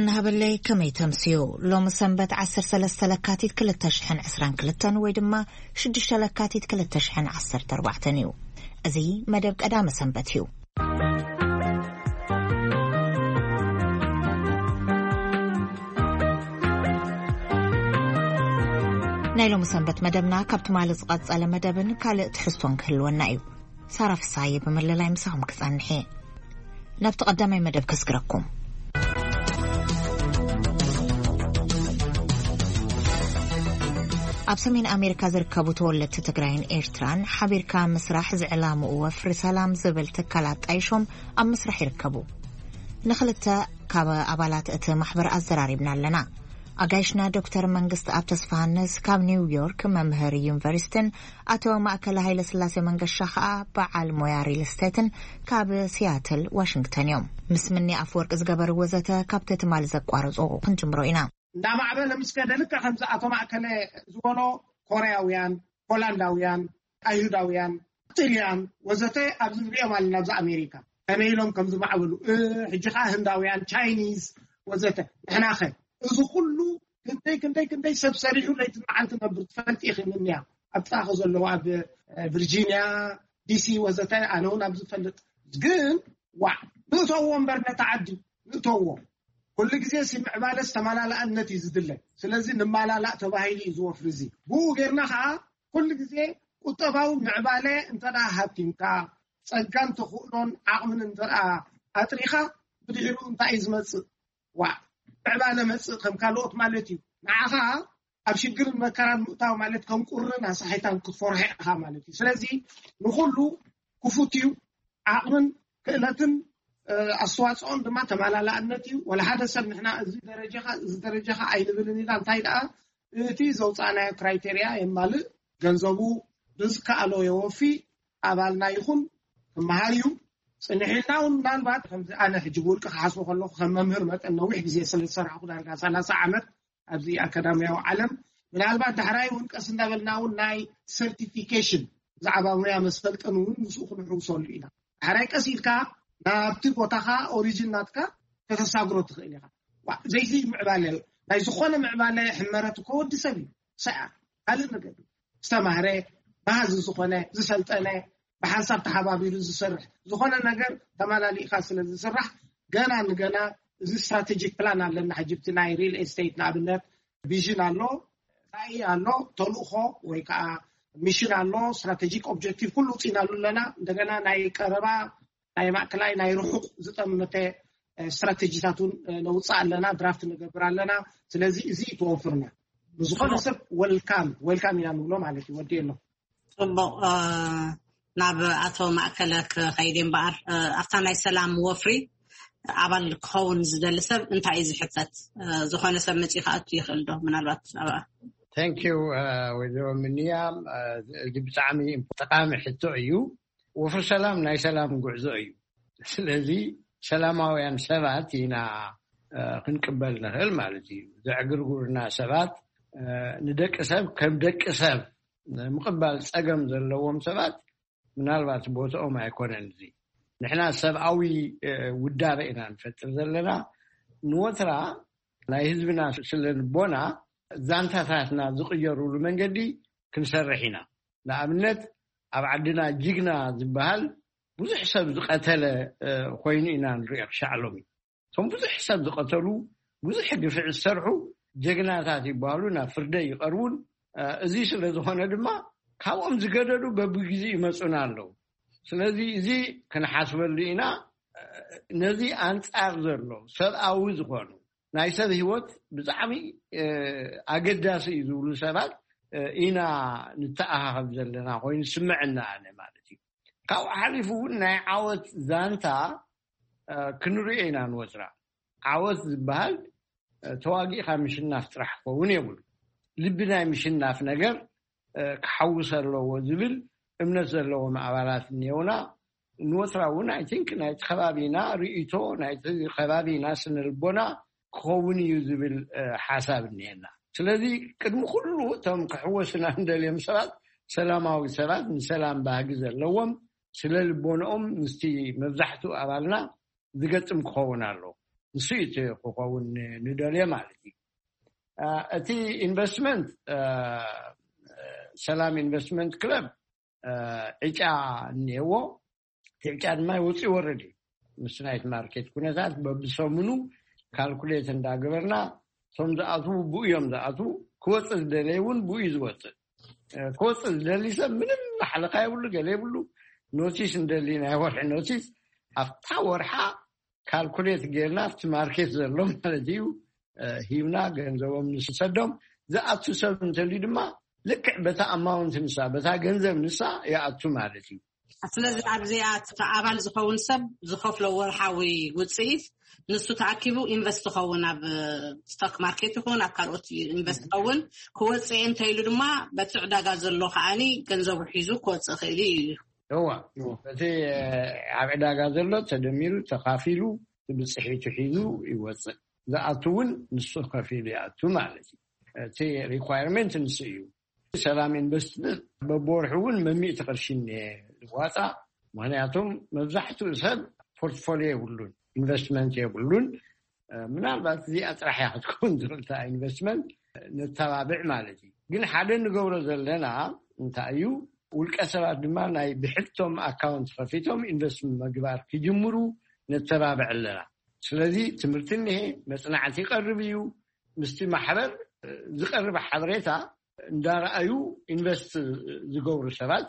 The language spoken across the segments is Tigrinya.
ንሃበለይ ከመይ ተምስዩ? ሎሚ ሰንበት ዓሰርተ ሰለስተ ለካቲት ክልተ ሽሕን ዕስራን ክልተን ወይ ድማ ሽዱሽተ ለካቲት ክልተ ሽሕን ዓሰርተ ኣርባዕተን እዩ። እዚ መደብ ቀዳመ ሰንበት እዩ። ናይ ሎሚ ሰንበት መደብና ካብ ትማሊ ዝቐጸለ መደብን ካልእ ትሕዝቶን ክህልወና እዩ። ሳራ ፍሳየ ብምልላይ ምሳኹም ክጸንሕ እየ። ናብቲ ቀዳማይ መደብ ከስግረኩም። ኣብ ሰሜን ኣሜሪካ ዝርከቡ ተወለድቲ ትግራይን ኤርትራን ሓቢርካ ምስራሕ ዝዕላምኡ ወፍሪ ሰላም ዝብል ትካል ኣጣይሾም ኣብ ምስራሕ ይርከቡ። ንኽልተ ካብ ኣባላት እቲ ማሕበር ኣዘራሪብና ኣለና። ኣጋይሽና ዶክተር መንግስት ኣብ ተስፋሃንስ ካብ ኒውዮርክ መምህር ዩኒቨርሲቲን ኣቶ ማእከለ ሃይለ ስላሴ መንገሻ ከኣ በዓል ሞያ ሪል ስቴትን ካብ ሲያትል ዋሽንግተን እዮም። ምስ ምኒ ኣፍወርቂ ዝገበርዎ ዘተ ካብቲ ትማሊ ዘቋረጾ ክንጅምሮ ኢና። እንዳማዕበለ ምስ ከደ ልክዕ ከምዚ ኣቶ ማእከለ ዝበሎ ኮርያውያን፣ ሆላንዳውያን፣ ኣይሁዳውያን፣ ጥልያን ወዘተ ኣብዚ ንሪኦም ኣለና ኣብዚ ኣሜሪካ ከመይ ኢሎም ከም ዝማዕበሉ፣ እ፣ ሕጂ ከዓ ህንዳውያን፣ ቻይኒዝ ወዘተ። ንሕናኸ እዚ ኩሉ ክንደይ ክንደይ ክንደይ ሰብ ሰሪሑ ለይቲ መዓልቲ ነብር ትፈልጥ ኢኺ ምንያ ኣብ ጥቓኺ ዘለዉ ኣብ እ፣ ቪርጂንያ፣ ዲሲ ወዘተ ኣነ እውን ኣብ ዝፈልጥ ግን ዋዕ ንእተዎ እምበር ነታ ዓዲ ንእተዎ። ኩሉ ግዜ ሲ ምዕባለ ዝተመላላእነት እዩ ዝድለ። ስለዚ ንመላላእ ተባሂሉ እዩ ዝወፍሪ እዚ። ብኡ ጌርና ከዓ ኩሉ ግዜ ቁጠባዊ ምዕባለ እንተ ደኣ ሃብቲምካ ጸጋን ተኽእሎን ዓቕምን እንተ ደኣ ኣጥሪኻ ብድሕሪኡ እንታይ እዩ ዝመጽእ? ዋዕ ምዕባለ መጽእ ከም ካልኦት ማለት እዩ። ንዓኻ ኣብ ሽግርን መከራን ምእታው ማለት ከም ቁርን ኣሳሒታን ክትፈርሖ ኢኻ ማለት እዩ። ስለዚ ንኹሉ ክፉት እዩ። ዓቕምን ክእለትን እ፣ ኣስተዋፅኦን ድማ ተመላላእነት እዩ። ወላ ሓደ ሰብ ንሕና እዚ ደረጃኻ እዚ ደረጃኻ ኣይንብልን ኢና። እንታይ ደኣ እቲ ዘውፃእናዮ ክራይቴርያ የማልእ፣ ገንዘቡ ብዝከኣሎ የወፊ፣ ኣባልና ይኹን ክመሃር እዩ። ፅንሕ ኢልና እውን ምናልባት ከምዚ ኣነ ሕጂ ብውልቂ ክሓስቦ ከለኹ ከም መምህር መጠን ነዊሕ ግዜ ስለ ዝሰራሕኩ ዳርጋ ሰላሳ ዓመት ኣብዚ ኣካዳሚያዊ ዓለም ምናልባት ዳሕራይ እውን ቀስ እንዳበልና እውን ናይ ሰርቲፊኬሽን ብዛዕባ ሙያ መሰልጠን እውን ምስኡ ክንሕውሰሉ ኢና። ዳሕራይ ቀስ ኢልካ ናብቲ ቦታኻ ኦሪጂን ናትካ ከተሳግሮ ትኽእል ኢኻ። ዋ፣ ዘይዚ ምዕባለ ናይ ዝኾነ ምዕባለ ሕመረት እኮ ወዲ ሰብ እዩ። ሰኣ ካልእ ነገር እዩ። ዝተማህረ ባህዚ ዝኾነ ዝሰልጠነ ብሓንሳብ ተሓባቢሩ ዝሰርሕ ዝኾነ ነገር ተመላሊእካ ስለ ዝስራሕ ገና ንገና እዚ ስትራቴጂክ ፕላን ኣለና። ሕጂ ብቲ ናይ ሪል ኤስቴት ንኣብነት ቪዥን ኣሎ፣ ራእይ ኣሎ፣ ተልእኾ ወይ ከዓ ሚሽን ኣሎ፣ ስትራቴጂክ ኦብጀክቲቭ ኩሉ ውፅኢናሉ ኣለና። እንደገና ናይ ቀረባ ናይ ማእከላይ ናይ ርሑቕ ዝጠመተ እ፣ ስትራቴጂታት እውን እ፣ ነውፅእ ኣለና፣ ድራፍት ንገብር ኣለና። ስለዚ እዚ እዩ ተወፍርና። ንዝኾነ ሰብ ወልካም ወልካም ኢና ንብሎ ማለት እዩ። ወዲ ኣሎ። ጽቡቕ። እ፣ ናብ ኣቶ ማእከለ ክኸይድ እምበኣር፣ እ፣ ኣብታ ናይ ሰላም ወፍሪ ኣባል ክኸውን ዝደሊ ሰብ እንታይ እዩ ዝሕተት? እ፣ ዝኾነ ሰብ መጺኡ ክኣቱ ይኽእል ዶ? ምናልባት ኣብኣ። Thank you ወይዘሮ ምንያ። እዚ ብጣዕሚ ጠቃሚ ሕቶ እዩ። ወፍሪ ሰላም ናይ ሰላም ጉዕዞ እዩ። ስለዚ ሰላማውያን ሰባት ኢና እ፣ ክንቅበል ንኽእል ማለት እዩ። ዘዕግርጉርና ሰባት እ፣ ንደቂ ሰብ ከም ደቂ ሰብ ምቕባል ጸገም ዘለዎም ሰባት ምናልባት ቦትኦም ኣይኮነን። እዚ ንሕና ሰብኣዊ እ፣ ውዳበ ኢና ንፈጥር ዘለና። ንወትራ ናይ ህዝብና ስለ ልቦና ዛንታታትና ዝቕየሩሉ መንገዲ ክንሰርሕ ኢና። ንኣብነት ኣብ ዓድና ጅግና ዝበሃል ብዙሕ ሰብ ዝቐተለ እ፣ ኮይኑ ኢና ንሪኦ። ክሻዕ ሎሚ እቶም ብዙሕ ሰብ ዝቐተሉ ብዙሕ ግፍዒ ዝሰርሑ ጀግናታት ይበሃሉ፣ ናብ ፍርደ ይቐርቡን እ፣ እዚ ስለ ዝኾነ ድማ ካብኦም ዝገደዱ በብግዜ ይመፁና ኣለዉ። ስለዚ እዚ ክንሓስበሉ ኢና። እ፣ ነዚ ኣንፃር ዘሎ ሰብኣዊ ዝኾኑ ናይ ሰብ ህይወት ብጣዕሚ እ፣ ኣገዳሲ እዩ ዝብሉ ሰባት እ፣ ኢና ንተኣኻኸብ ዘለና ኮይኑ ስምዐና ኣነ ማለት እዩ። ካብኡ ሓሊፉ እውን ናይ ዓወት ዛንታ እ፣ ክንሪኦ ኢና ንወትራ። ዓወት ዝበሃል እ፣ ተዋጊእካ ምሽናፍ ጥራሕ ክኸውን የብሉ። ልቢ ናይ ምሽናፍ ነገር እ፣ ክሓውስ ኣለዎ ዝብል እምነት ዘለዎም ኣባላት እኒኦና። ንወትራ እውን ኣይ ቲንክ ናይቲ ከባቢና ርእይቶ ናይቲ ከባቢና ስነ ልቦና ክኸውን እዩ ዝብል እ፣ ሓሳብ እኒኤና። ስለዚ ቅድሚ ኩሉ እቶም ክሕወሱና እንደልዮም ሰባት ሰላማዊ ሰባት፣ ንሰላም ባህጊ ዘለዎም፣ ስለ ልቦንኦም ምስቲ መብዛሕትኡ ኣባልና ዝገጥም ክኸውን ኣለዎ። ንሱ እዩ እቲ ክኸውን ንደልዮ ማለት እዩ። እቲ ኢንቨስትመንት ሰላም ኢንቨስትመንት ክለብ ዕጫ እኒሄዎ። እቲ ዕጫ ድማ ይወፅእ ይወርድ እዩ። ምስ ናይቲ ማርኬት ኩነታት በብሰሙኑ ካልኩሌት እንዳገበርና፣ እቶም ዝኣትዉ ብኡ እዮም ዝኣትዉ። ክወፅእ ዝደለየ እውን ብኡ እዩ ዝወፅእ። ክወፅእ ዝደሊ ሰብ ምንም ማሕለካ የብሉ፣ ገለ የብሉ። ኖቲስ እንደሊ፣ ናይ ወርሒ ኖቲስ፣ ኣብታ ወርሓ ካልኩሌት ጌርና ኣብቲ ማርኬት ዘሎ ማለት እዩ ሂብና፣ ገንዘቦም ንሰዶም። ዝኣቱ ሰብ እንተልዩ ድማ ልክዕ በታ ኣማውንት ንሳ፣ በታ ገንዘብ ንሳ ይኣቱ ማለት እዩ። ስለዚ ኣብዚኣ እቲ ኣባል ዝኸውን ሰብ ዝኸፍሎ ወርሓዊ ውፅኢት ንሱ ተኣኪቡ ኢንቨስት ይኸውን፣ ኣብ ስቶክ ማርኬት ይኹን ኣብ ካልኦት ኢንቨስት ይኸውን። ክወፅእ እንተኢሉ ድማ በቲ ዕዳጋ ዘሎ ከዓኒ ገንዘቡ ሒዙ ክወፅእ ክእል እዩ። እዋ፣ እቲ ኣብ ዕዳጋ ዘሎ ተደሚሩ ተኻፊሉ ብፅሒቱ ሒዙ ይወፅእ። ዝኣቱ እውን ንሱ ከፊሉ ይኣቱ ማለት እዩ። እቲ ሪኳየርመንት ንሱ እዩ። ሰላም ኢንቨስትመንት በብወርሑ እውን መሚእቲ ቅርሺ እኒሀ ዝዋፃእ። ምክንያቱም መብዛሕትኡ ሰብ ፖርትፎሊዮ የብሉን፣ ኢንቨስትመንት የብሉን። ምናልባት እዚኣ ጥራሕ እያ ክትከውን ትኽእል፣ እታ ኢንቨስትመንት ነተባብዕ ማለት እዩ። ግን ሓደ ንገብሮ ዘለና እንታይ እዩ፣ ውልቀ ሰባት ድማ ናይ ብሕቶም ኣካውንት ከፊቶም ኢንቨስት ምግባር ክጅምሩ ነተባብዕ ኣለና። ስለዚ ትምህርቲ እኒሄ፣ መፅናዕቲ ይቀርብ እዩ። ምስቲ ማሕበር ዝቀርብ ሓበሬታ እንዳረኣዩ ኢንቨስት ዝገብሩ ሰባት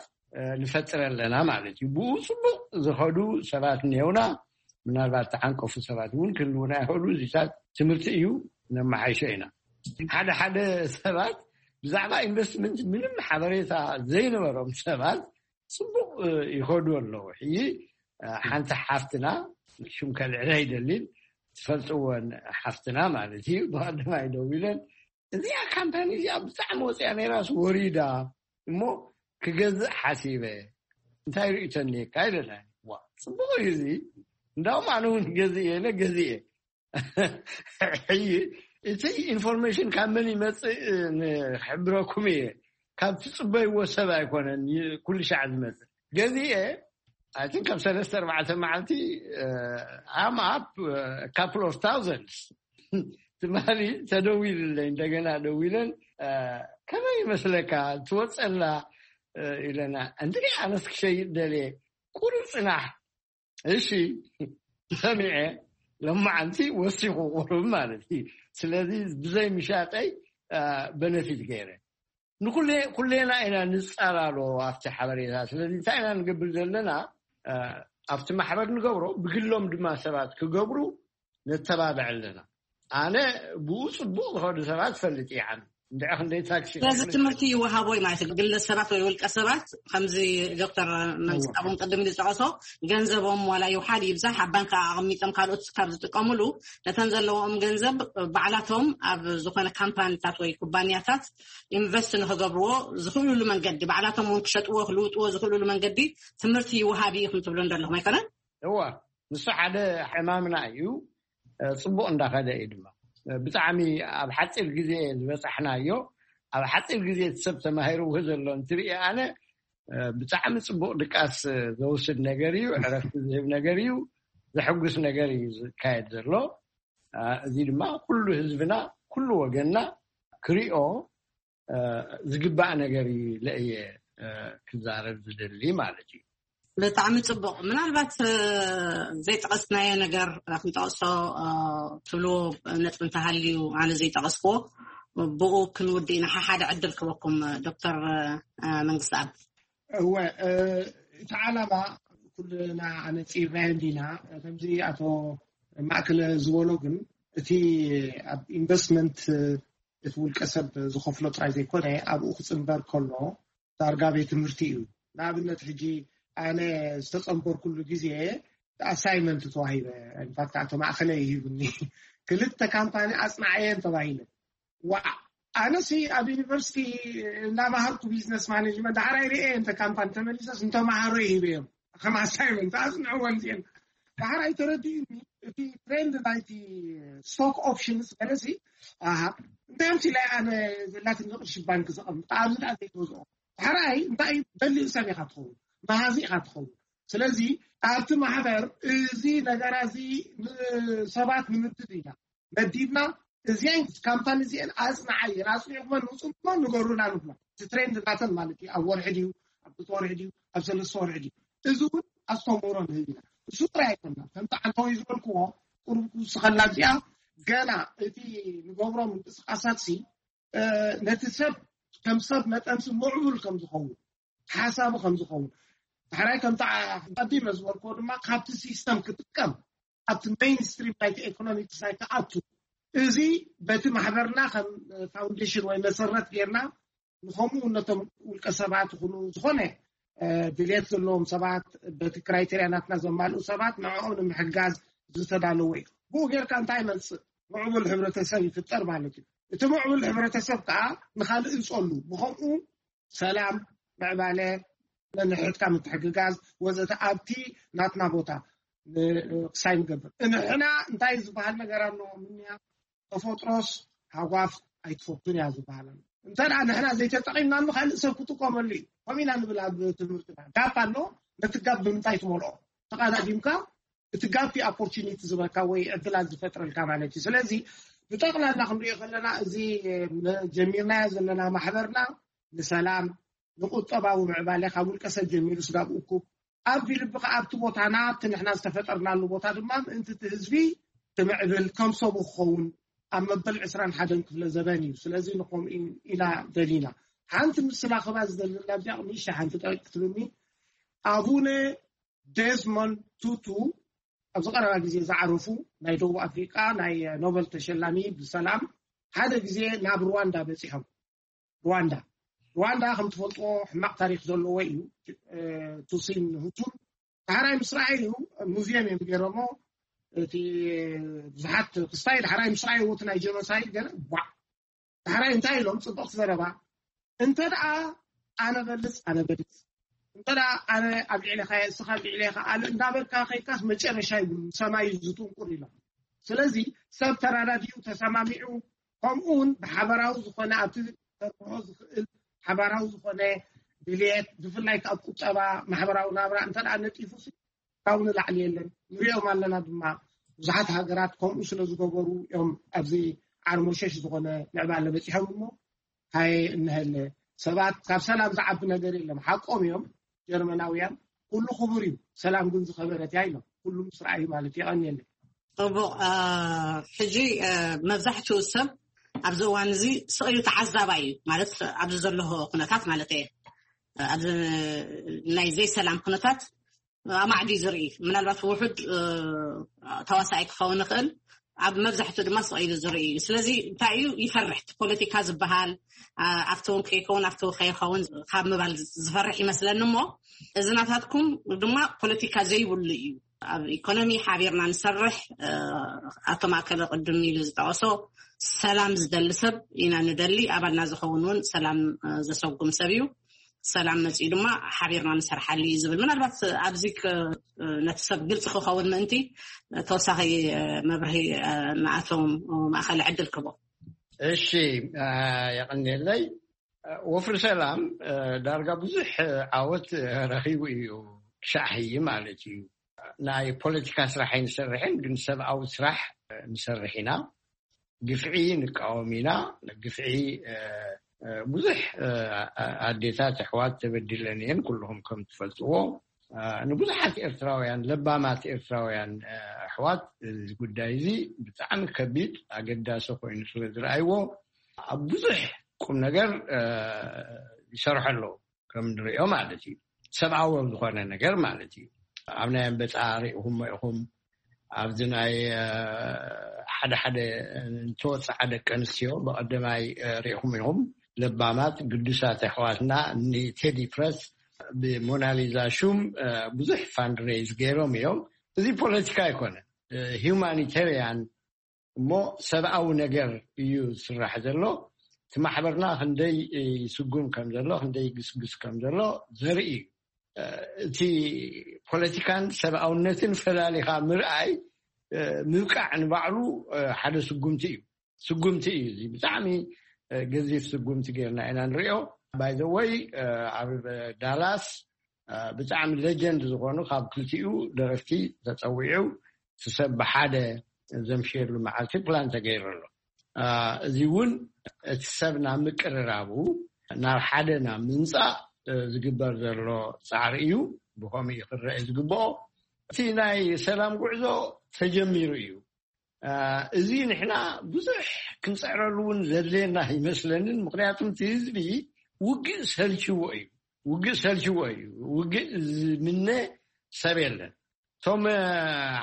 ንፈጥር ኣለና ማለት እዩ። ብኡ ፅቡቅ ዝኸዱ ሰባት እኒሄውና። ምናልባት ተዓንቀፉ ሰባት እውን ክህልውና ይኽእሉ። እዚታት ትምህርቲ እዩ፣ ነመሓይሾ ኢና። ሓደ ሓደ ሰባት ብዛዕባ ኢንቨስትመንት ምንም ሓበሬታ ዘይነበሮም ሰባት ፅቡቅ ይኸዱ ኣለዉ። ሕጂ ሓንቲ ሓፍትና፣ ሽም ከልዕላ ኣይደልን፣ ትፈልጥወን ሓፍትና ማለት እዩ፣ ብቀደማይ ደው ኢለን፣ እዚኣ ካምፓኒ እዚኣ ብጣዕሚ ወፂኣ ነይራስ ወሪዳ እሞ ክገዝእ ሓሲበ፣ እንታይ ርእቶ እኒካ ኢለና። ዋ፣ ፅቡቅ እዩ እዚ፣ እንዳውም ኣነ እውን ገዝእ ኢለ ገዝእ። ሕጂ እቲ ኢንፎርሜሽን ካብ መን ይመፅእ ንክሕብረኩም እየ። ካብ ትፅበይዎ ሰብ ኣይኮነን ኩሉ ሻዕ ዝመፅእ። ገዚኤ፣ ኣይ ቲንክ፣ ካብ ሰለስተ ኣርባዕተ መዓልቲ፣ I'm up couple of thousands ትማሊ ተደዊልለይ፣ እንደገና ደዊለን፣ ከመይ ይመስለካ ትወፀላ ኢለና። እንድዒ፣ ኣነስ ክሸይጥ ደልየ። ቁሩብ ፅናሕ፣ እሺ፣ ሰሚዐ፣ ለማዓንቲ ወሲኹ ቁሩብ ማለት እዩ። ስለዚ ብዘይ ምሻጠይ በነፊት ገይረ። ንኩሌ ኩሌና ኢና ንፃላሎ ኣብቲ ሓበሬታ። ስለዚ እንታይ ኢና ንገብር ዘለና? ኣብቲ ማሕበር ንገብሮ፣ ብግሎም ድማ ሰባት ክገብሩ ነተባብዕ ኣለና። ኣነ ብኡ ፅቡቅ ዝኸዱ ሰባት ፈልጥ ይዓን እንድዒ፣ ክንደይ ታክሲ ስለዚ ትምህርቲ ይወሃቦ እዩ ማለት እዩ። ግለ ሰባት ወይ ውልቀ ሰባት ከምዚ ዶክተር መንግስታብ እውን ቅድም ዝጠቀሶ፣ ገንዘቦም ዋላ ይውሓድ ይብዛሕ ኣብ ባንክ ኣቐሚጦም ካልኦት ካብ ዝጥቀሙሉ፣ ነተን ዘለዎም ገንዘብ ባዕላቶም ኣብ ዝኾነ ካምፓኒታት ወይ ኩባንያታት ኢንቨስት ንክገብርዎ ዝኽእሉሉ መንገዲ፣ ባዕላቶም እውን ክሸጥዎ ክልውጥዎ ዝኽእሉሉ መንገዲ ትምህርቲ ይወሃብ እዩ ኢኹም ትብሉ እንደለኹም ኣይኮነን? እዋ፣ ንሱ ሓደ ዕማምና እዩ። ጽቡቕ እንዳኸደ እዩ ድማ። ብጣዕሚ ኣብ ሓጺር ግዜ ዝበጻሕናዮ፣ ኣብ ሓጺር ግዜ እቲ ሰብ ተማሂርዎ ዘሎ እንትርኢ ኣነ፣ ብጣዕሚ ጽቡቕ ድቃስ ዘውስድ ነገር እዩ፣ ዕረፍቲ ዝህብ ነገር እዩ፣ ዘሐጉስ ነገር እዩ ዝካየድ ዘሎ። እዚ ድማ ኩሉ ህዝብና፣ ኩሉ ወገንና ክሪኦ ዝግባእ ነገር እዩ ኢለ እየ ክዛረብ ዝደሊ ማለት እዩ። ብጣዕሚ ጽቡቕ። ምናልባት ዘይጠቐስናዮ ነገር ክንጠቕሶ ትብልዎ ነጥቢ እንተሃልዩ፣ ኣነ ዘይጠቐስክዎ፣ ብኡ ክንውድእ ኢና። ሓደ ዕድል ክበኩም ዶክተር መንግስትኣብ። እወ፣ እቲ ዓላማ ኩልና ኣነጺርናዮ እንዲና። ከምዚ ኣቶ ማእከለ ዝበሎ ግን፣ እቲ ኣብ ኢንቨስትመንት እቲ ውልቀ ሰብ ዝኸፍሎ ጥራይ ዘይኮነ፣ ኣብኡ ክጽንበር ከሎ ዳርጋ ቤት ትምህርቲ እዩ። ንኣብነት ሕጂ ኣነ ዝተጸንበርኩሉ ግዜ ኣሳይመንት ተዋሂበ። ኢንፋክት ኣቶ ማእከለ ይሂብኒ፣ ክልተ ካምፓኒ ኣጽናዓየን ተባሂለ። ዋ፣ ኣነሲ ኣብ ዩኒቨርሲቲ እንዳማሃርኩ ቢዝነስ ማኔጅመንት ዳሕራይ ርእየ እንተ ካምፓኒ ተመሊሰስ እንተመሃሮ ይህበዮም ከም ኣሳይመንት ኣጽንዕወን እዚአን። ዳሕራይ ተረዲኡኒ እቲ ትሬንድ ናይቲ ስቶክ ኦፕሽንስ ገለሲ። ኣሃ፣ እንታይ ኣምሲ ላይ ኣነ ዘላትኒ ቅርሺ ባንክ ዘቐምጥ ኣብዚ ደኣ ዘይገዝኦ። ዳሕራይ እንታይ በሊኡ ሰብ ኢኻ ትኸውን፣ መሃዚ ኢኻ ትኸውን። ስለዚ ኣብቲ ማሕበር እዚ ነገራ እዚ ንሰባት ንምድብ ኢና መዲብና። እዚአን ካምፓኒ እዚአን ኣጽንዓየን፣ ኣጽኒዕኩመን ውጹ እሞ ንገሩና ንብላ። እቲ ትሬንድ ናተን ማለት እዩ። ኣብ ወርሒ ድዩ፣ ኣብ ክልተ ወርሒ ድዩ፣ ኣብ ሰለስተ ወርሒ ድዩ? እዚ እውን ኣስተምህሮ ንህብ ኢና። እሱ ጥራይ ኣይኮና፣ ከምቲ ዓንተወይ ዝበልክዎ፣ ቁሩብ ክውስኸላ እዚኣ፣ ገና እቲ ንገብሮ ምንቅስቃሳት ሲ ነቲ ሰብ ከም ሰብ መጠንሲ ምዕቡል ከም ዝኸውን፣ ሓሳቡ ከም ዝኸውን፣ ዳሕራይ ከምቲ ቀዲመ ዝበልክዎ ድማ ካብቲ ሲስተም ክጥቀም፣ ኣብቲ ሜይንስትሪም ናይቲ ኤኮኖሚክስ ኣይክኣቱ። እዚ በቲ ማሕበርና ከም ፋውንዴሽን ወይ መሰረት ጌርና ንከምኡ ነቶም ውልቀ ሰባት ይኹኑ ዝኾነ ድልየት ዘለዎም ሰባት፣ በቲ ክራይቴርያ ናትና ዘማልኡ ሰባት ንዕኦም ንምሕጋዝ ዝተዳለወ እዩ። ብኡ ጌርካ እንታይ ይመፅእ? ምዕቡል ሕብረተሰብ ይፍጠር ማለት እዩ። እቲ ምዕቡል ሕብረተሰብ ከዓ ንካልእ ይፀሉ። ብከምኡ ሰላም፣ ምዕባለ፣ ነንሕድካ ምትሕግጋዝ ወዘተ ኣብቲ ናትና ቦታ ክሳይ ንገብር። ንሕና እንታይ ዝበሃል ነገር ኣሎ? ምንያ ተፈጥሮስ ሃጓፍ ኣይትፈቱን እያ ዝበሃል ኣሎ። እንተ ደኣ ንሕና ዘይተጠቒምናሉ ካልእ ሰብ ክጥቀመሉ እዩ። ከምኡ ኢና ንብል ኣብ ትምህርትና። ጋፕ ኣሎ፣ ነቲ ጋፕ ብምንታይ ትመልኦ? ተቓዳዲምካ እቲ ጋፕ ኦፖርቹኒቲ ዝበልካ ወይ ዕድላት ዝፈጥረልካ ማለት እዩ። ስለዚ ብጠቕላላ ክንሪኦ ከለና እዚ ጀሚርናዮ ዘለና ማሕበርና ንሰላም፣ ንቁጠባዊ ምዕባለ ካብ ውልቀ ሰብ ጀሚሩ ስጋብ እኩብ ኣብ ልቢ ከኣ ኣብቲ ቦታና ኣብቲ ንሕና ዝተፈጠርናሉ ቦታ ድማ ምእንቲ እቲ ህዝቢ ክምዕብል ከም ሰቡ ክኸውን ኣብ መበል ዕስራን ሓደን ክፍለ ዘበን እዩ። ስለዚ ንኸምኡ ኢና ደሊና። ሓንቲ ምስላ ክባ ዝደሊ ኣብዚኣ ቅድሚ እሺ ሓንቲ ጠቂቅ ክትብልኒ ኣቡነ ዴዝሞንድ ቱቱ ኣብዚ ቀረባ ግዜ ዝዓረፉ ናይ ደቡብ ኣፍሪቃ ናይ ኖበል ተሸላሚ ብሰላም ሓደ ግዜ ናብ ሩዋንዳ በፂሖም። ሩዋንዳ ሩዋንዳ ከም ትፈልጥዎ ሕማቕ ታሪክ ዘለዎ እዩ። ቱሲን ሁቱን ዳሕራይ ምስ ረኣዩ ሙዚየም እዮም ገይሮሞ። እቲ ብዙሓት ክስታይ ዳሕራይ ምስ ረኣዩ እቲ ናይ ጀኖሳይድ ገለ ቧዕ ዳሕራይ እንታይ ኢሎም? ጽብቕቲ ዘረባ። እንተ ደኣ ኣነ በልጽ ኣነ በልጽ፣ እንተ ደኣ ኣነ ኣብ ልዕሌኻ እየ፣ እስኻ ኣብ ልዕሌኻ ኣለ እንዳበልካ ከይካስ መጨረሻ ይብሉ ሰማይ ዝጥንቁር ኢሎም። ስለዚ ሰብ ተራዳዲኡ ተሰማሚዑ፣ ከምኡ እውን ብሓበራዊ ዝኾነ ኣብቲ ተርብሖ ዝኽእል ሓበራዊ ዝኾነ ድልየት፣ ብፍላይ ካብ ቁጠባ ማሕበራዊ ናብራ እንተ ደኣ ነጢፉ ካብ ንላዕሊ የለን። ንሪኦም ኣለና ድማ ብዙሓት ሃገራት ከምኡ ስለ ዝገበሩ እዮም ኣብዚ ዓርሞሸሽ ዝኾነ ምዕባለ በፂሖም እሞ ሃየ እንሀለ ሰባት ካብ ሰላም ዝዓቢ ነገር የለም። ሓቆም እዮም ጀርመናውያን፣ ኩሉ ክቡር እዩ፣ ሰላም ግን ዝኸበረት እያ ኢሎም። ኩሉ ምስ ረኣዩ ማለት እዩ። የቐንየለይ። ጽቡቕ። ሕጂ መብዛሕትኡ ሰብ ኣብዚ እዋን እዚ ስቕ ኢሉ ተዓዛባይ እዩ ማለት ኣብዚ ዘሎ ኩነታት ማለት እየ። ኣብዚ ናይ ዘይሰላም ኩነታት ኣማዕዲ ዝርኢ ምናልባት ውሑድ ተዋሳኢ ክኸውን ይኽእል። ኣብ መብዛሕትኡ ድማ ስቕ ኢሉ ዝርኢ እዩ። ስለዚ እንታይ እዩ ይፈርሕ ፖለቲካ ዝበሃል ኣብቲ እውን ከይከውን ኣብቲ ከይኸውን ካብ ምባል ዝፈርሕ ይመስለኒ እሞ እዚ ናታትኩም ድማ ፖለቲካ ዘይብሉ እዩ። ኣብ ኢኮኖሚ ሓቢርና ንሰርሕ። ኣቶ ማእከለ ቅድም ኢሉ ዝጠቐሶ ሰላም ዝደሊ ሰብ ኢና ንደሊ። ኣባልና ዝኸውን እውን ሰላም ዘሰጉም ሰብ እዩ። ሰላም መፅኡ ድማ ሓቢርና ንሰርሓሉ እዩ ዝብል ምናልባት ኣብዚ ነቲ ሰብ ግልፂ ክኸውን ምእንቲ ተወሳኺ መብርሂ ንኣቶም ማእኸል ዕድል ክቦ። እሺ፣ የቐንየለይ። ወፍሪ ሰላም ዳርጋ ብዙሕ ዓወት ረኺቡ እዩ። ክሻዕ ሕይ ማለት እዩ። ናይ ፖለቲካ ስራሕ ኣይንሰርሕን፣ ግን ሰብኣዊ ስራሕ ንሰርሕ ኢና። ግፍዒ ንቃወም ኢና። ግፍዒ ብዙሕ ኣዴታት ኣሕዋት ተበዲለን እየን። ኩልኹም ከም ትፈልጥዎ ንብዙሓት ኤርትራውያን፣ ለባማት ኤርትራውያን ኣሕዋት እዚ ጉዳይ እዚ ብጣዕሚ ከቢድ ኣገዳሲ ኮይኑ ስለ ዝረኣይዎ ኣብ ብዙሕ ቁም ነገር ይሰርሑ ኣለዉ። ከም ንሪኦ ማለት እዩ፣ ሰብኣዊ ኣብ ዝኾነ ነገር ማለት እዩ። ኣብ ናይ ኣንበጣ ሪኢኹሞ ኢኹም። ኣብዚ ናይ ሓደ ሓደ ንተወፅዓ ደቂ ኣንስትዮ ብቐደማይ ሪኢኹም ኢኹም። ለባማት ግዱሳት ኣሕዋትና ንቴዲ ፕረስ ብሞናሊዛ ሹም ብዙሕ ፋንድሬዝ ገይሮም እዮም። እዚ ፖለቲካ ኣይኮነ፣ ሂውማኒቴሪያን እሞ ሰብኣዊ ነገር እዩ ዝስራሕ ዘሎ። እቲ ማሕበርና ክንደይ ይስጉም ከም ዘሎ፣ ክንደይ ይግስግስ ከም ዘሎ ዘርኢ እዩ። እቲ ፖለቲካን ሰብኣውነትን ፈላሊኻ ምርኣይ ምብቃዕ ንባዕሉ ሓደ ስጉምቲ እዩ። ስጉምቲ እዩ፣ እዚ ብጣዕሚ ገዚፍ ስጉምቲ ጌርና ኢና ንሪኦ። ባይዘወይ ኣብ ዳላስ ብጣዕሚ ሌጀንድ ዝኾኑ ካብ ክልቲኡ ደረፍቲ ተፀዊዑ እቲ ሰብ ብሓደ ዘምሽየሉ መዓልቲ ፕላን ተገይሩ ኣሎ። እዚ እውን እቲ ሰብ ናብ ምቅርራቡ ናብ ሓደ ናብ ምምፃእ ዝግበር ዘሎ ፃዕሪ እዩ። ብኸምኡ ክረአ ዝግብኦ እቲ ናይ ሰላም ጉዕዞ ተጀሚሩ እዩ። እዚ ንሕና ብዙሕ ክንፅዕረሉ እውን ዘድልየና ይመስለንን፣ ምክንያቱም እቲ ህዝቢ ውግእ ሰልችዎ እዩ። ውግእ ሰልችዎ እዩ። ውግእ ዝምነ ሰብ የለን። እቶም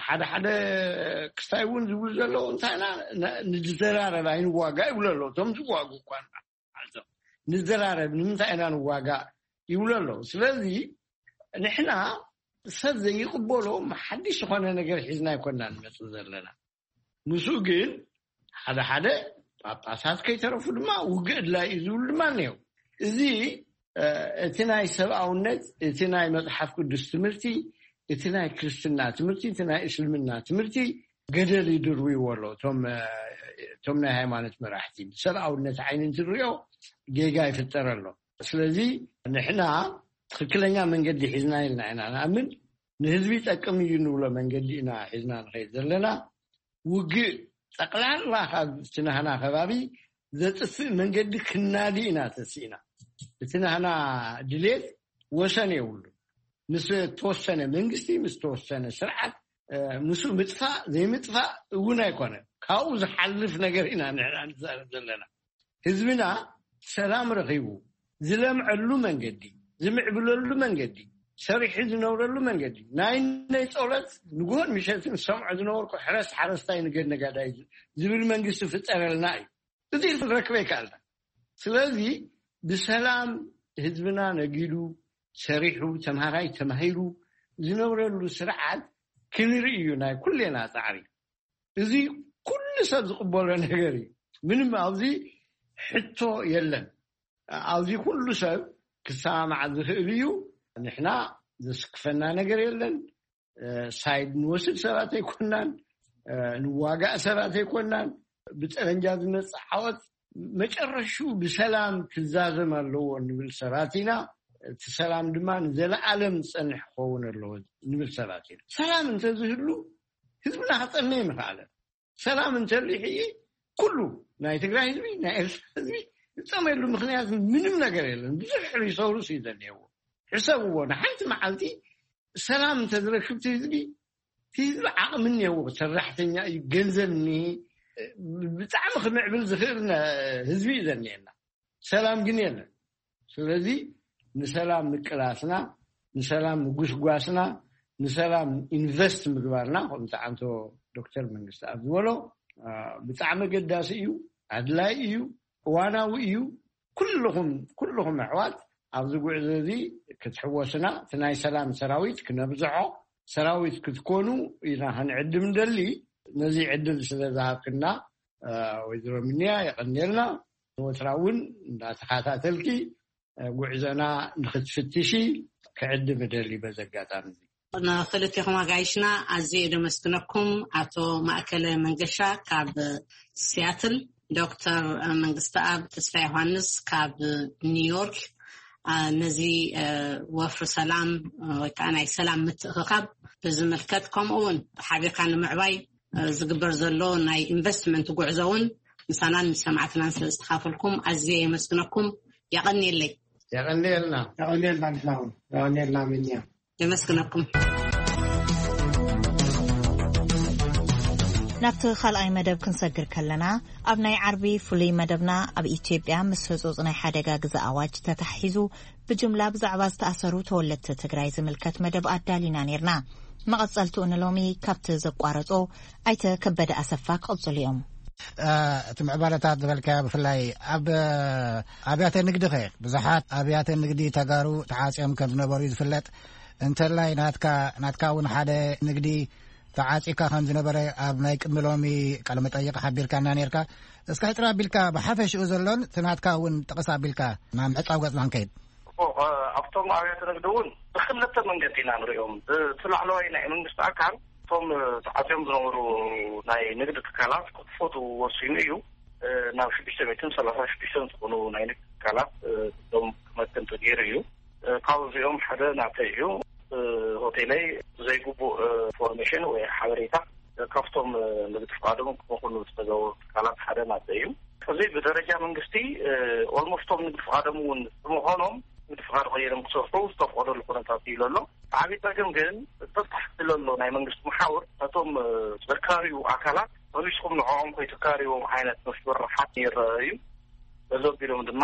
ሓደ ሓደ ክስታይ እውን ዝብሉ ዘለዉ እንታይ ኢና ንዘራረብ ኣይንዋጋ ይብሉ ኣለዉ። እቶም ዝዋጉ እኳ ንዘራረብ ንምንታይ ኢና ንዋጋ ይብሉ ኣለዉ። ስለዚ ንሕና ሰብ ዘይቅበሎ ሓድሽ ዝኾነ ነገር ሒዝና ኣይኮና ንመፅእ ዘለና። ምስኡ ግን ሓደ ሓደ ጳጳሳት ከይተረፉ ድማ ውግእ ድላይ እዩ ዝብሉ ድማ እኒው። እዚ እቲ ናይ ሰብኣውነት፣ እቲ ናይ መፅሓፍ ቅዱስ ትምህርቲ፣ እቲ ናይ ክርስትና ትምህርቲ፣ እቲ ናይ እስልምና ትምህርቲ ገደል ይድርብዎ ኣሎ። እቶም ናይ ሃይማኖት መራሕቲ ብሰብኣውነት ዓይኒ እንትንሪኦ ጌጋ ይፍጠር ኣሎ። ስለዚ ንሕና ትኽክለኛ መንገዲ ሒዝና ኢልና ኢና ንኣምን። ንህዝቢ ይጠቅም እዩ ንብሎ መንገዲ ኢና ሒዝና ንኸይድ ዘለና። ውግእ ጠቕላላ ካብ እቲ ናህና ከባቢ ዘጥፍእ መንገዲ ክናዲ ኢና ተስኢና። እቲ ናህና ድሌት ወሰን የብሉ። ምስ ተወሰነ መንግስቲ፣ ምስ ተወሰነ ስርዓት ምስ ምጥፋእ ዘይምጥፋእ እውን ኣይኮነ። ካብኡ ዝሓልፍ ነገር ኢና ንሕና ንዛረብ ዘለና። ህዝብና ሰላም ረኺቡ ዝለምዐሉ መንገዲ፣ ዝምዕብለሉ መንገዲ፣ ሰሪሑ ዝነብረሉ መንገዲ፣ ናይ ናይ ጸሎት ንግሆን ምሸትን ዝሰምዖ ዝነበርኩ ሕረስ ሓረስታይ ንገድ ነጋዳይ ዝብል መንግስቲ ፍጠረልና እዩ። እዚ ክንረክበ ይከኣልና። ስለዚ ብሰላም ህዝብና ነጊዱ ሰሪሑ ተምሃራይ ተማሂሩ ዝነብረሉ ስርዓት ክንርኢ እዩ ናይ ኩሌና ጻዕሪ። እዚ ኩሉ ሰብ ዝቕበሎ ነገር እዩ። ምንም ኣብዚ ሕቶ የለን። ኣብዚ ኩሉ ሰብ ክሰማማዕ ዝኽእል እዩ። ንሕና ዘስክፈና ነገር የለን። ሳይድ ንወስድ ሰባት ኣይኮናን፣ ንዋጋእ ሰባት ኣይኮናን። ብጠመንጃ ዝመፅእ ዓወት መጨረሹ ብሰላም ክዛዘም ኣለዎ ንብል ሰባት ኢና። እቲ ሰላም ድማ ንዘለኣለም ዝፀንሕ ክኸውን ኣለዎ ንብል ሰባት ኢና። ሰላም እንተዝህሉ ህዝብና ክፀመ ይምኽኣለ። ሰላም እንተልዩ ሕጂ ኩሉ ናይ ትግራይ ህዝቢ፣ ናይ ኤርትራ ህዝቢ ዝፀመየሉ ምክንያት ምንም ነገር የለን። ብዙሕ ሪሶርስ እዩ ዘድልየዎ። ሕሰብዎ፣ ንሓንቲ መዓልቲ ሰላም እንተዝረክብ እቲ ህዝቢ፣ እቲ ህዝቢ ዓቕሚ እኒአዎ፣ ሰራሕተኛ እዩ፣ ገንዘብ እኒሄ፣ ብጣዕሚ ክምዕብል ዝኽእል ህዝቢ እዩ ዘኒኤና። ሰላም ግን የለን። ስለዚ ንሰላም ምቅላስና፣ ንሰላም ምጉስጓስና፣ ንሰላም ኢንቨስት ምግባርና ከምቲ ዓንቶ ዶክተር መንግስቲ ኣብ ዝበሎ ብጣዕሚ ኣገዳሲ እዩ፣ ኣድላይ እዩ፣ እዋናዊ እዩ። ኩልኹም ኩልኹም ኣሕዋት ኣብዚ ጉዕዞ እዚ ክትሕወስና፣ እቲ ናይ ሰላም ሰራዊት ክነብዝሖ፣ ሰራዊት ክትኮኑ ኢና ክንዕድም እንደሊ። ነዚ ዕድል ስለ ዝሃብክና ወይዘሮ ምንያ የቐንየልና። ወትራ እውን እንዳተኸታተልኪ ጉዕዞና ንክትፍትሺ ክዕድም እደሊ በዚ ኣጋጣሚ እዚ። ንክልቴኹም ኣጋይሽና ኣዝየ ደመስግነኩም። ኣቶ ማእከለ መንገሻ ካብ ሲያትል፣ ዶክተር መንግስተኣብ ተስፋ ዮሃንስ ካብ ኒውዮርክ፣ ነዚ ወፍሪ ሰላም ወይ ከዓ ናይ ሰላም ምትእኽኻብ ብዝምልከት፣ ከምኡ እውን ሓቢርካ ንምዕባይ ዝግበር ዘሎ ናይ ኢንቨስትመንት ጉዕዞ እውን ምሳናን ምስ ሰማዕትናን ስለ ዝተኻፈልኩም ኣዝየ የመስግነኩም። የቐንየለይ። የቐንየልና። የቐንየልና። ንሕና እውን የቐንየልና። ምንያ። የመስግነኩም። ናብቲ ካልኣይ መደብ ክንሰግር ከለና፣ ኣብ ናይ ዓርቢ ፍሉይ መደብና ኣብ ኢትዮጵያ ምስ ህጹጽ ናይ ሓደጋ ግዘ ኣዋጅ ተታሒዙ ብጅምላ ብዛዕባ ዝተኣሰሩ ተወለድቲ ትግራይ ዝምልከት መደብ ኣዳሊና ነይርና። መቐጸልትኡ ንሎሚ ካብቲ ዘቋረጾ ኣይተ ከበደ ኣሰፋ ክቕጽሉ እዮም። እቲ ምዕባለታት ዝበልካዮ ብፍላይ ኣብ ኣብያተ ንግዲ ኸ? ብዙሓት ኣብያተ ንግዲ ተጋሩ ተዓጽዮም ከም ዝነበሩ እዩ ዝፍለጥ። እንተላይ ናትካ ናትካ እውን ሓደ ንግዲ ተዓጺካ ከም ዝነበረ ኣብ ናይ ቅድሚ ሎሚ ቃለ መጠይቕ ሓቢርካና ነርካ። እስካ ሕፅር ኣቢልካ ብሓፈሽኡ ዘሎን እቲ ናትካ እውን ጥቕስ ኣቢልካ ናብ ምዕጻው ገጽና ንከይድ። ኣብቶም ኣብያተ ንግዲ እውን ብክልተ መንገዲ ኢና ንሪኦም። እቲ ላዕለዋይ ናይ መንግስቲ ኣካል እቶም ተዓፅዮም ዝነበሩ ናይ ንግዲ ትካላት ክፈቱ ወሲኑ እዩ። ናብ ሽዱሽተ ሚእትን ሰላሳ ሽዱሽተን ዝኾኑ ናይ ንግዲ ትካላት ዶም ክመክን ተገይሩ እዩ። ካብዚኦም ሓደ ናተይ እዩ። ሆቴለይ ዘይግቡእ ኢንፎርሜሽን ወይ ሓበሬታ ካብቶም ንግዲ ፍቃዶም ክመኹኑ ዝተገበሩ ትካላት ሓደ ናተይ እዩ። እዚ ብደረጃ መንግስቲ ኦልሞስቶም ንግዲ ፍቃዶም እውን ብምዃኖም ንግዲ ፍቃድ ቀይሮም ክሰርሑ ዝተፍቀደሉ ኩነታት እዩ ዘሎ። ዓብዪ ጸገም ግን ተታሕቲ ዘሎ ናይ መንግስቲ መሓውር ነቶም ዘካርዩ ኣካላት መሊስኩም ንዕኦም ከይትካርዎም ዓይነት ምፍርራሓት ይረአ እዩ። በዚ ኣቢሎም ድማ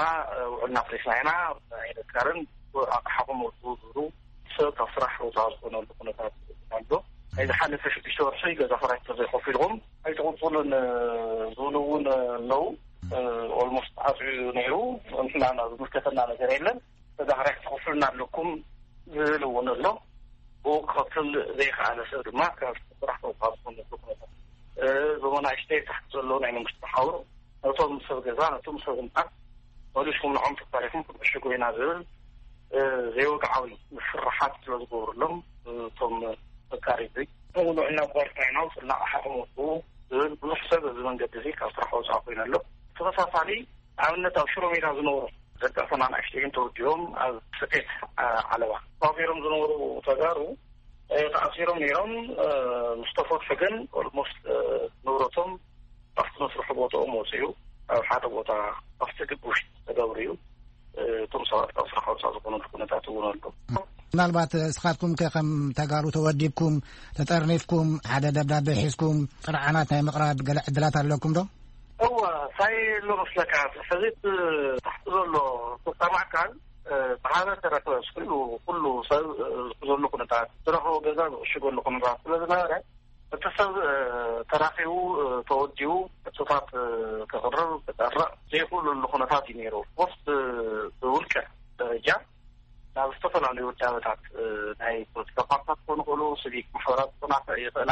ውዕልና ፕሬስና ኢና ኣይነካርን፣ ኣቕሓኹም ወፁ ዝብሉ ሰብ ካብ ስራሕ ወፃ ዝኾነሉ ኩነታት ኣሎ። ናይ ዝሓለፈ ሽዱሽተ ወርሒ ገዛ ክራይ ተዘይከፊልኩም ኣይትቕፅሉን ዝብሉ እውን ኣለዉ። ኦልሞስት ተዓፅዩ ነይሩ። ንሕና ዝምልከተና ነገር የለን። ገዛ ክራይ ክትኸፍሉና ኣለኩም ዝብል እውን ኣሎ። ብኡ ክኸፍል ዘይከኣለ ሰብ ድማ ካብ ስራሕ ተውፃ ዝኾነሉ ኩነታት። እዞም ኣናእሽተይ ታሕቲ ዘለዉ ናይ መንግስቲ መሓውር ነቶም ሰብ ገዛ ነቶም ሰብ ህንፃ መሊስኩም ንዖም ተታሪኹም ክንዕሽጎ ኢና ዝብል ዘይወግዓዊ ምፍርሓት ስለ ዝገብሩሎም እቶም ተቃሪቢ እውን ውዕልና ቋርታ ኢና ውፅልና ኣሓኹም ወፅኡ ዝብል ብዙሕ ሰብ እዚ መንገዲ እዚ ካብ ስራሕ ወፃ ኮይኑ ኣሎ። ተመሳሳሊ ኣብነት ኣብ ሽሮ ሜዳ ዝነብሩ ደቂ ኣፈና ንኣሽተይን ተወዲቦም ኣብ ስፌት ዓለባ ተዋፊሮም ዝነበሩ ተጋሩ ተኣሲሮም ነይሮም። ምስ ተፈትሑ ግን ኦልሞስት ንብረቶም ኣብቲ መስርሒ ቦታኦም ወፅኡ ኣብ ሓደ ቦታ ኣብቲ ግቢ ውሽጢ ተገብሩ እዩ። እቶም ሰባት ካብ ስራሕ ወፃ ዝኾነሉ ኩነታት እውን ኣሎ። ምናልባት እስኻትኩም ከ ከም ተጋሩ ተወዲብኩም ተጠርኒፍኩም ሓደ ደብዳቤ ሒዝኩም ጥርዓናት ናይ ምቕራብ ገለ ዕድላት ኣለኩም ዶ? እወ፣ እንታይ ኣሎ መስለካ፣ ሕዚ እቲ ታሕቲ ዘሎ ፈጻሚ ኣካል ብሃበ ተረፈ ኩሉ ኩሉ ሰብ ዝሕዘሉ ኩነታት ዝረኸቦ ገዛ ዝዕሽገሉ ኩነታት ስለ ዝነበረ እቲ ሰብ ተራኺቡ ተወዲቡ ሕቶታት ከቕርብ ክጠርዕ ዘይክእለሉ ኩነታት እዩ ነይሩ። ኦፍኮርስ ብውልቀ ደረጃ ናብ ዝተፈላለዩ ውዳበታት ናይ ፖለቲካ ፓርቲታት ክኾኑ ይኽእሉ፣ ሲቪክ ማሕበራት ክኾና ይኽእላ፣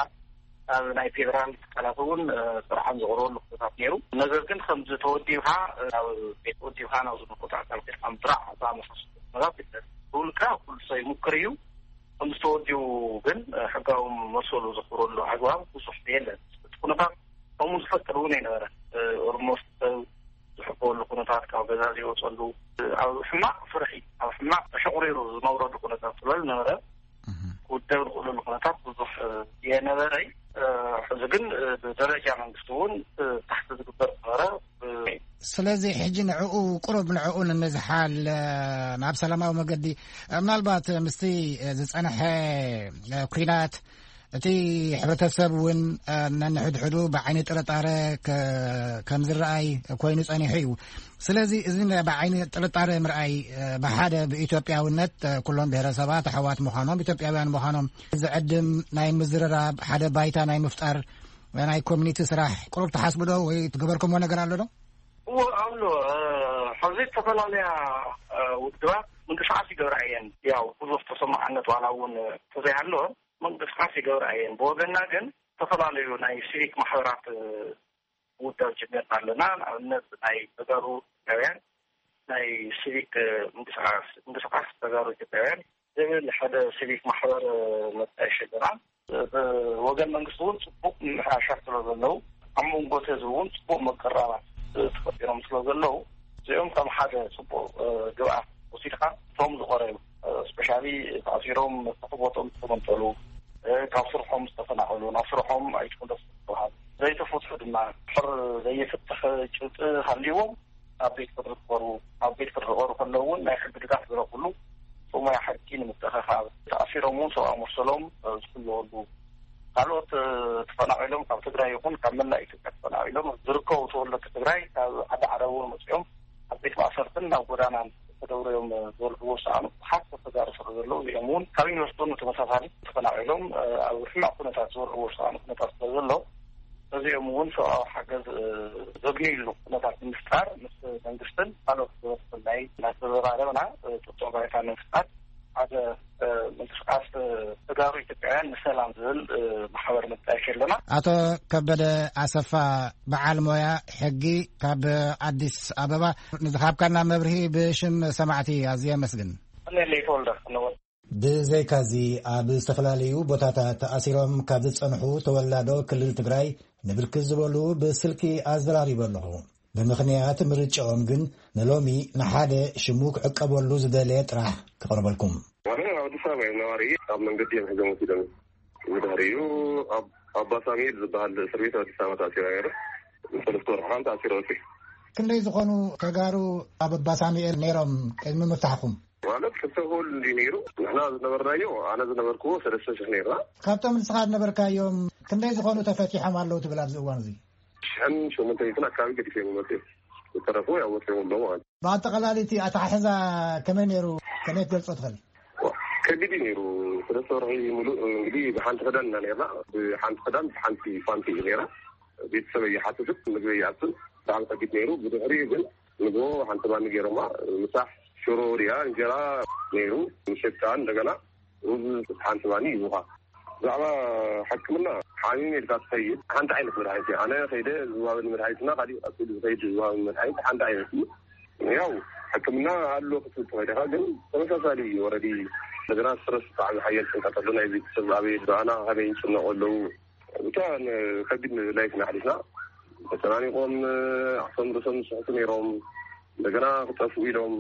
ኣብ ናይ ፌደራል ትካላት እውን ጥርዓን ዝቐርበሉ ኩነታት ነይሩ። ነገር ግን ከምዚ ተወዲብካ ናብ ቤት ተወዲብካ ናብ ዝመልከቶ ኣካል ከድካ ምጥራዕ ዝኣመሳሰሉ ኩነታት የለን። ብውልቀ ኩሉ ሰብ ይሙክር እዩ። ከምዚ ተወዲቡ ግን ሕጋዊ መሰሉ ዘኽብረሉ ኣግባብ ብዙሕ የለን። እቲ ኩነታት ከምኡ ዝፈቅድ እውን ኣይነበረ። ኦልሞስት ሰብ ዝሕበወሉ ኩነታት ካብ ገዛ ዘይወፀሉ ኣብ ሕማቕ ፍርሒ ኣብ ሕማቕ ተሸቑሪሩ ዝነብረሉ ኩነታት ስለ ዝነበረ ክውደብ ዝኽእለሉ ኩነታት ብዙሕ የነበረይ። ሕዚ ግን ብደረጃ መንግስቲ እውን ታሕቲ ዝግበር ነበረ። ስለዚ ሕጂ ንዕኡ ቁሩብ ንዕኡ ንምዝሓል ናብ ሰላማዊ መገዲ ምናልባት ምስቲ ዝፀንሐ ኩናት እቲ ሕብረተሰብ እውን ነንሕድሕዱ ብዓይኒ ጥርጣረ ከም ዝረኣይ ኮይኑ ፀኒሑ እዩ። ስለዚ እዚ ብዓይኒ ጥርጣረ ምርኣይ ብሓደ ብኢትዮጵያውነት ኩሎም ብሄረሰባት ኣሕዋት ምዃኖም ኢትዮጵያውያን ምዃኖም ዝዕድም ናይ ምዝርራብ ሓደ ባይታ ናይ ምፍጣር ናይ ኮሚኒቲ ስራሕ ቁሩብ ትሓስቡ ዶ ወይ ትገበርኩምዎ ነገር ኣሎ ዶ? እዎ ኣሎ። ሕዚ ዝተፈላለያ ውድባት ምንቅስቃስ ይገብራ እየን። ያው ብዙሕ ተሰማዕነት ዋላ እውን ተዘይሃለወ ምንቅስቃስ ይገብራ እየን። ብወገና ግን ዝተፈላለዩ ናይ ሲቪክ ማሕበራት ውዳብ ጀሚርና ኣለና። ንኣብነት ናይ ተጋሩ ኢትዮጵያውያን ናይ ሲቪክ ምንቅስቃስ ምንቅስቃስ ተጋሩ ኢትዮጵያውያን ዝብል ሓደ ሲቪክ ማሕበር መጣየሽ ኣለና። ብወገን መንግስቲ እውን ፅቡቅ ምምሕያሻት ስለ ዘለዉ ኣብ መንጎ እቲ ህዝቢ እውን ፅቡቅ መቀራባት ተፈጢሮም ስለ ዘለዉ እዚኦም ከም ሓደ ፅቡቅ ግብኣት ወሲድካ እቶም ዝቆረዩ ስፔሻሊ ተኣሲሮም መፍትሒ ቦቶም ዝተመንጠሉ ካብ ስርሖም ዝተፈናቀሉ ናብ ስርሖም ኣይትመለሱ ዝተባሃሉ ዘይተፈትሑ ድማ ድሕር ዘይፍትሕ ጭብጢ ሃልይዎም ኣብ ቤት ፍርዲ ክቐርቡ ኣብ ቤት ፍርዲ ክቐርቡ ከለዉ እውን ናይ ሕጊ ድጋፍ ዝረኽብሉ ጽሙያ ሕጊ ንምትእኽኻብ ተኣሲሮም እውን ሰብኣዊ መሰሎም ዝሕለወሉ ካልኦት ተፈናቒሎም ካብ ትግራይ ይኹን ካብ መላእ ኢትዮጵያ ተፈናቒሎም ዝርከቡ ተወለድቲ ትግራይ ካብ ዓዲ ዓረብ እውን መፂኦም ኣብ ቤት ማእሰርትን ናብ ጎዳናን ተደብርዮም ዝበልዕዎ ዝሰኣኑ ብዙሓት ተጋሩ ስለ ዘለዉ እዚኦም እውን ካብ ዩኒቨርሲቲ እውን ተመሳሳሊ ተፈናቒሎም ኣብ ሕማቕ ኩነታት ዝበልዕዎ ዝሰኣኑ ኩነታት ስለ ዘሎ እዚኦም እውን ሰብኣዊ ሓገዝ ዘግንይሉ ኩነታት ንምፍጣር ምስ መንግስትን ካልኦት ዝበፅሑ ናይ እናተዘራረብና ጥጡዕ ባይታ ንምፍጣር ሓደ ምንቅስቃስ ተጋሩ ኢትዮጵያውያን ንሰላም ዝብል ማሕበር መጣየሽ ኣለና። ኣቶ ከበደ ኣሰፋ በዓል ሞያ ሕጊ ካብ ኣዲስ ኣበባ ንዝሃብካና መብርሂ ብሽም ሰማዕቲ ኣዝየ ኣመስግን። እኔ ተወልደ ብዘይካዚ ኣብ ዝተፈላለዩ ቦታታት ተኣሲሮም ካብ ዝጸንሑ ተወላዶ ክልል ትግራይ ንብርክት ዝበሉ ብስልኪ ኣዘራሪበ ኣለኹ። ብምኽንያት ምርጫኦም ግን ንሎሚ ንሓደ ሽሙ ክዕቀበሉ ዝደለየ ጥራሕ ክቐርበልኩም። ኣነ ኣብ ኣዲስ ኣበባ እየ ነባሪ። ኣብ መንገዲ እዮም ሒዞም ወሲዶም። ብድሕሪኡ ኣብ ኣባ ሳሙኤል ዝበሃል እስር ቤት ኣዲስ ኣበባ ተኣሲረ ነይረ። ንሰለስተ ወርሒ ተኣሲረ ወፂ። ክንደይ ዝኾኑ ተጋሩ ኣብ ኣባ ሳሙኤል ነይሮም ቅድሚ ምፍታሕኩም? ማለት ክልተ ክፍል እንዲ ነይሩ። ንሕና ዝነበርናዮ፣ ኣነ ዝነበርኩዎ ሰለስተ ሽሕ ነይርና። ካብቶም ንስኻ ዝነበርካዮም ክንደይ ዝኾኑ ተፈቲሖም ኣለዉ ትብል ኣብዚ እዋን እዚ? ሽሕን ሸሞንተ ሚእትን ኣካባቢ ገዲፎም መፅኦም። ዝተረፉ ያው ወፂኦም ኣለዉ ማለት እዩ። ብኣጠቓላሊ እቲ ኣተሓሕዛ ከመይ ነይሩ? ከመይ ክትገልጾ ትኽእል? ከቢድ እዩ ነይሩ። ሰለስተ ወርሒ ሙሉእ እንግዲህ ብሓንቲ ክዳን ኢና ነይርና። ብሓንቲ ክዳን፣ ብሓንቲ ፋንቲ እዩ ነይራ። ቤተሰብ ኣይሓትትን፣ ምግቢ ኣይኣቱን። ብጣዕሚ ከቢድ ነይሩ። ብድሕሪኡ ግን ንግሆ ሓንቲ ባኒ ገይሮማ። ምሳሕ ሽሮ ድያ እንጀራ ነይሩ። ምሸት ከዓ እንደገና ሩዝ ሓንቲ ባኒ ይቡኻ። ብዛዕባ ሕክምና ሓሚም ኢልካ ትኸይድ ሓንቲ ዓይነት መድሓኒት እዩ። ኣነ ከይደ ዝዋበኒ መድሓኒትና ካሊእ ቀፂሉ ዝኸይድ ዝዋበኒ መድሓኒት ሓንቲ ዓይነት እዩ። ያው ሕክምና ኣሎ ክትብል ትኸይድ ኢኻ፣ ግን ተመሳሳሊ እዩ። ወረዲ እንደገና ስትረስ ብጣዕሚ ሓያል ጭንቀት ኣሎ። ናይ ቤተሰብ ኣበይ ኣና ከመይ ይጭነቑ ኣለዉ። ብቻ ን-፣ ከቢድ ላይፍ ኢና ሓሊፍና። ተጨናኒቖም ዓርሶም ርእሶም ዝስሕቱ ነይሮም። እንደገና ክጠፍኡ ኢሎም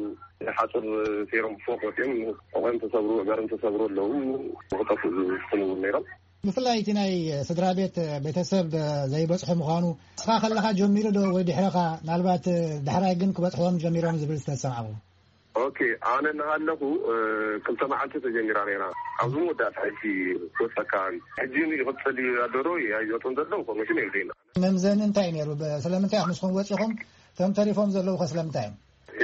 ሓፁር ሰይሮም ብፎቅ ወፂኦም ሕቆም ተሰብሩ፣ እገርም ተሰብሩ ኣለዉ። ክጠፍኡ ዝፍትኑ እውን ነይሮም። ብፍላይ እቲ ናይ ስድራ ቤት ቤተሰብ ዘይበፅሑ ምዃኑ ንስኻ ከለኻ ጀሚሩ ዶ ወይ ድሕረኻ? ምናልባት ዳሕራይ ግን ክበፅሕዎም ጀሚሮም ዝብል ዝተሰማዕኹ። ኦኬ፣ ኣነ እናሃለኹ፣ እ፣ ክልተ መዓልቲ ተጀሚራ ነይራ። ኣብዚ መወዳእታ ሕጂ ክወፀካ ሕጂ ይቕፅል እዩ ኣሎ ዶ ኣይወፅን ዘሎ ኢንፎርሜሽን የብለይና። መምዘኒ እንታይ ነይሩ? ብ-፣ ስለምንታይ ኢኹም ንስኹም ወፂኹም? እቶም ተሪፎም ዘለዉ ከ ስለምንታይ እዮም?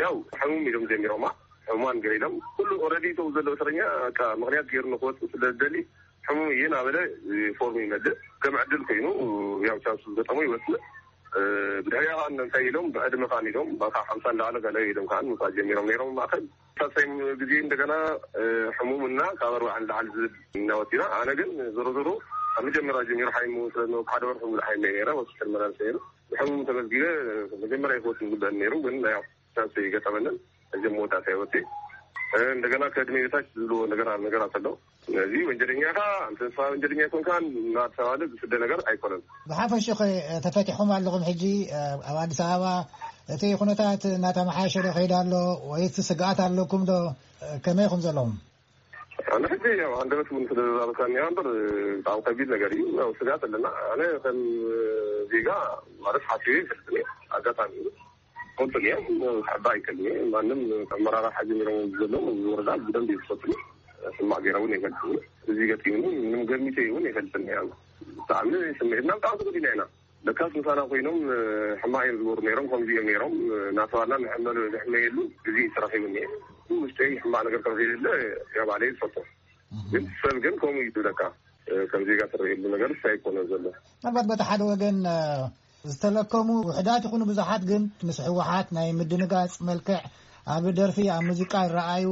ያው ሕሙም ኢሎም ጀሚሮማ፣ ሕሙማን ገለ ኢሎም። ኩሉ ኦልሬዲ እቶም ዘለዉ እስረኛ በቃ ምኽንያት ገይሩ ንክወፅእ ስለ ዝደሊ ሕሙም እየ እናበለ ፎርም ይመልእ። ከም ዕድል ኮይኑ ያው ቻንሱ ዝገጠሞ ይወፅእ። እ፣ ብድሕሪኣ ከዓ እንታይ ኢሎም ብዕድመ ከዓ ኢሎም በቃ ሓምሳ እንዳዓለ ገለ ኢሎም ከዓ ምውፃእ ጀሚሮም ነይሮም ማእከል። ሳሳይም ግዜ እንደገና፣ እ፣ ሕሙም እና ካብ ኣርባዓ ንላዕሊ ዝብል እናወፂና። ኣነ ግን ዞሮ ዞሮ ኣብ መጀመርያ ጀሚሩ ሓይሙ ስለ ዝነበርኩ ሓደ ወርሒ ሙሉእ ሓይመ ነይረ፣ ሆስፒታል መላለሰ ነይሩ። ብሕሙም ተመዝጊበ መጀመርያ ክወፅእ ዝግበአኒ ነይሩ፣ ግን ያው ቻንስ ይገጠመንን እዚ መወዳእታ ይወፅእ። እ፣ እንደገና ከእድሜ በታች ዝብልዎ ነገራ-፣ ነገራት ኣሎ። ስለዚ ወንጀለኛ ኢኻ፣ እንተ ንስኻ ወንጀለኛ ኣይኮንካን እናተባህለ ዝስደ ነገር ኣይኮነን። ብሓፈሽኡ ኸ ተፈቲሕኩም ኣለኹም ሕጂ፣ እ፣ ኣብ ኣዲስ ኣበባ እቲ ኩነታት እናተመሓየሸ ዶ ከይድ ኣሎ ወይስ ስግኣት ኣለኩም ዶ? እ፣ ከመይ ኢኹም ዘለኹም? ኣነ ሕጂ ያው ሃንደበት እውን ስለ ዘዛረብካኒ እያ እምበር ብጣዕሚ ከቢድ ነገር እዩ። ያው ስግኣት ኣለና። ኣነ ከም ዜጋ ማለት ሓሲበ ይፈልጥን እየ። ኣጋጣሚ እዩ። ፈልጥን እየ። ሕባ ኣይከልን እየ። ማንም ኣመራርሓ ጀሚሮም ዘለዉ እዚ ወረዳ ብደንብ እዩ ዝፈልጥኒ። ሕማቕ ገይረ እውን ይፈልጥኒ። እዚ ገጢሙኒ ምንም ገሚተ እውን ይፈልጥን እየ። ብጣዕሚ ስምዒትና ብጣዕሚ ተጎዲና ኢና። ለካስ ምሳና ኮይኖም፣ እ፣ ሕማቕ እዮም ዝገብሩ ነይሮም፣ ከምዚ እዮም ነይሮም፣ እ፣ እናተባልና ንሕመሉ-፣ ንሕመየሉ ግዜ ተረኺቡ እኒአ። ውሽጠይ ሕማቕ ነገር ከም ዘይደለ ያው ባዕለይ ዝፈልጦ። ግን ሰብ ግን ከምኡ እዩ ዝብለካ፣ እ፣ ከም ዜጋ ትረእየሉ ነገር ኣይኮነን ዘሎ። ምናልባት በቲ ሓደ ወገን፣ እ፣ ዝተለከሙ ውሕዳት ይኹኑ ብዙሓት ግን ምስ ህወሓት ናይ ምድንጋጽ መልክዕ ኣብ ደርፊ፣ ኣብ ሙዚቃ ይረኣዩ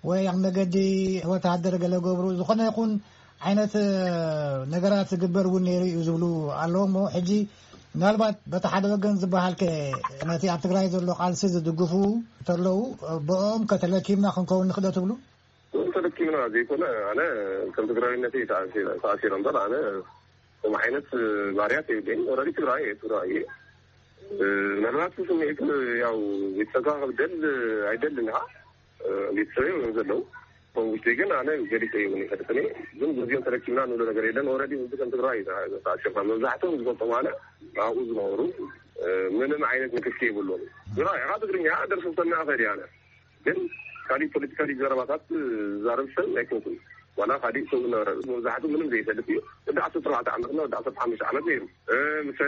ወይ ኣብ መገዲ ወተሃደር ገለ ገብሩ፣ ዝኾነ ይኹን ዓይነት፣ እ፣ ነገራት ዝግበር እውን ነይሩ እዩ ዝብሉ ኣለዉ። እሞ ሕጂ ምናልባት በቲ ሓደ ወገን ዝበሃል ከ ነቲ ኣብ ትግራይ ዘሎ ቃልሲ ዝድግፉ እንተለዉ፣ ብኦም ከተለኪምና ክንከውን ንኽእል ዶ ትብሉ? ተለኪምና ዘይኮነ፣ ኣነ ከም ትግራዊነተይ ተኣሲረ፣ ተኣሲረ እምበር ኣነ ከም ዓይነት ባርያት የብለይን። ኦልሬዲ ትግራይ እየ፣ ትግራይ እየ። እ፣ ምናልባት ስምዒት ያው ቤተሰብካ ክብደል ኣይደልን ኢኻ። እ፣ ቤተሰበይ እዮም ዘለዉ። ከም ውሽጠይ ግን ኣነ ገሊፀ እውን ይፈልጥኒ። ግን በዚኦም ተረኪብና ንብሎ ነገር የለን። ኦልሬዲ ህዝቢ ከም ትግራይ እዩ ተኣሲርና። መብዛሕትኦም ዝፈልጦም ኣነ ኣብኡ ዝነበሩ፣ እ፣ ምንም ዓይነት ንክኪ የብሎም። ትግራይ ኢኻ፣ ትግርኛ ደርፊ ክሰምዕ እኽእል እየ ኣነ። ግን ካሊእ ፖለቲካሊ ዘረባታት ዝዛረብ ሰብ ኣይኮንኩን። ዋላ ካሊእ ሰብ ዝነበረ መብዛሕትኡ ምንም ዘይፈልጥ እዩ። ወዲ ዓሰርተ ኣርባዕተ ዓመት እና ወዲ ዓሰርተ ሓሙሽተ ዓመት ነይሩ። እ፣ ምስ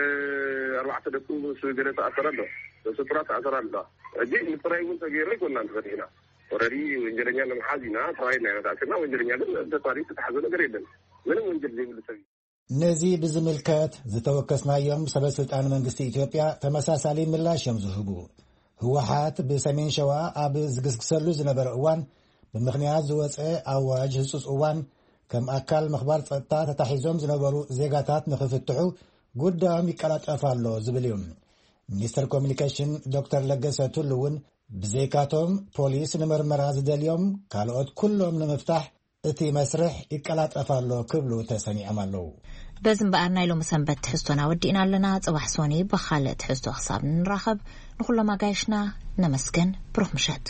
ኣርባዕተ ደቁ ምስ ገለ ተኣሰረ ኣሎ። ምስ ጥራት ተኣሰረ ኣሎ። ሕጂ ምፅራይ እውን ተገይሩ ኣይኮንና ንፈሪሕና። ኦልሬዲ ወንጀለኛ ንምሓዝ ኢና ተባሂልና ኢና ተኣሲርና። ወንጀለኛ ግን ተታሪ ዝተሓዘ ነገር የለን። ምንም ወንጀል ዘይብሉ ሰብ እዩ። ነዚ ብዝምልከት ዝተወከስናዮም ሰበ ስልጣን መንግስቲ ኢትዮጵያ ተመሳሳሊ ምላሽ እዮም ዝህቡ። ህወሓት ብሰሜን ሸዋ ኣብ ዝግስግሰሉ ዝነበረ እዋን ብምኽንያት ዝወፀ ኣዋጅ ህጹጽ እዋን ከም ኣካል ምኽባር ጸጥታ ተታሒዞም ዝነበሩ ዜጋታት ንኽፍትሑ ጉዳዮም ይቀላጠፍ ኣሎ ዝብል እዩ። ሚኒስተር ኮሚኒኬሽን ዶክተር ለገሰ ቱሉ እውን ብዘይካቶም ፖሊስ ንምርመራ ዝደልዮም ካልኦት ኩሎም ንምፍታሕ እቲ መስርሕ ይቀላጠፍ ኣሎ ክብሉ ተሰሚዖም ኣለዉ። በዚ እምበኣር ናይ ሎሚ ሰንበት ትሕዝቶና ወዲእና ኣለና። ጽባሕ ሶኒ ብኻልእ ትሕዝቶ ክሳብ ንራኸብ ንኹሎም ኣጋይሽና ነመስግን። ብሩኽ ምሸት።